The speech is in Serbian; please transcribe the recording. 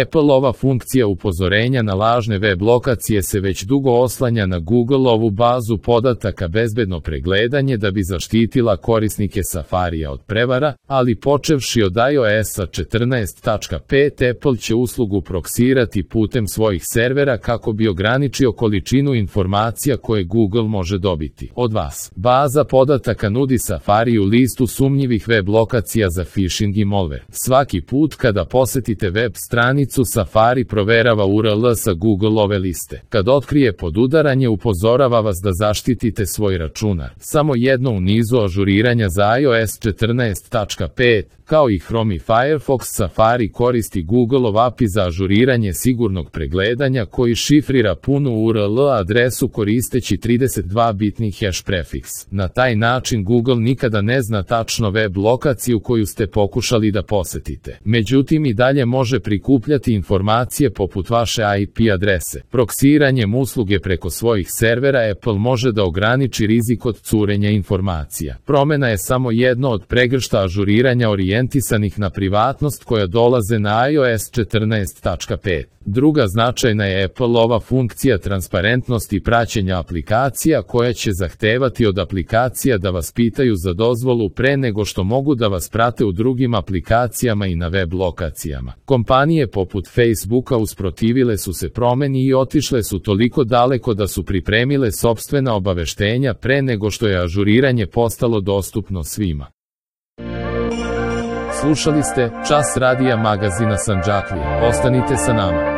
Appleova funkcija upozorenja na lažne web lokacije se već dugo oslanja na Googleovu bazu podataka bezbedno pregledanje da bi zaštitila korisnike Safarija od prevara, ali počevši od iOS-a 14.5 Apple će uslugu proksirati putem svojih servera kako bi ograničio količinu informacija koje Google može dobiti od vas. Baza podataka nudi Safariju listu sumnjivih web lokacija za phishing i malware. Svaki put kada posetite web stranicu, Safari proverava URL sa Googleove liste. Kad otkrije podudaranje, upozorava vas da zaštitite svoj računar. Samo jedno u nizu ažuriranja za iOS 14.5, kao i Chrome i Firefox, Safari koristi Googleov API za ažuriranje sigurnog pregledanja koji šifrira punu URL adresu koristeći 32-bitni hash prefiks. Na taj način Google nikada ne zna tačno web lokaciju koju ste pokušali da posetite. Međutim, i dalje može prikupljati informacije poput vaše IP adrese. Proksiranjem usluge preko svojih servera Apple može da ograniči rizik od curenja informacija. Promena je samo jedno od pregršta ažuriranja orijentisanih na privatnost koja dolaze na iOS 14.5. Druga značajna je Appleova funkcija transparentnosti praćenja aplikacija koja će zahtevati od aplikacija da vas pitaju za dozvolu pre nego što mogu da vas prate u drugim aplikacijama i na web lokacijama. Kompanije poput Facebooka usprotivile su se promeni i otišle su toliko daleko da su pripremile sopstvena obaveštenja pre nego što je ažuriranje postalo dostupno svima. Slušali ste Čas radija magazina Sandžaklija. Ostanite sa nama.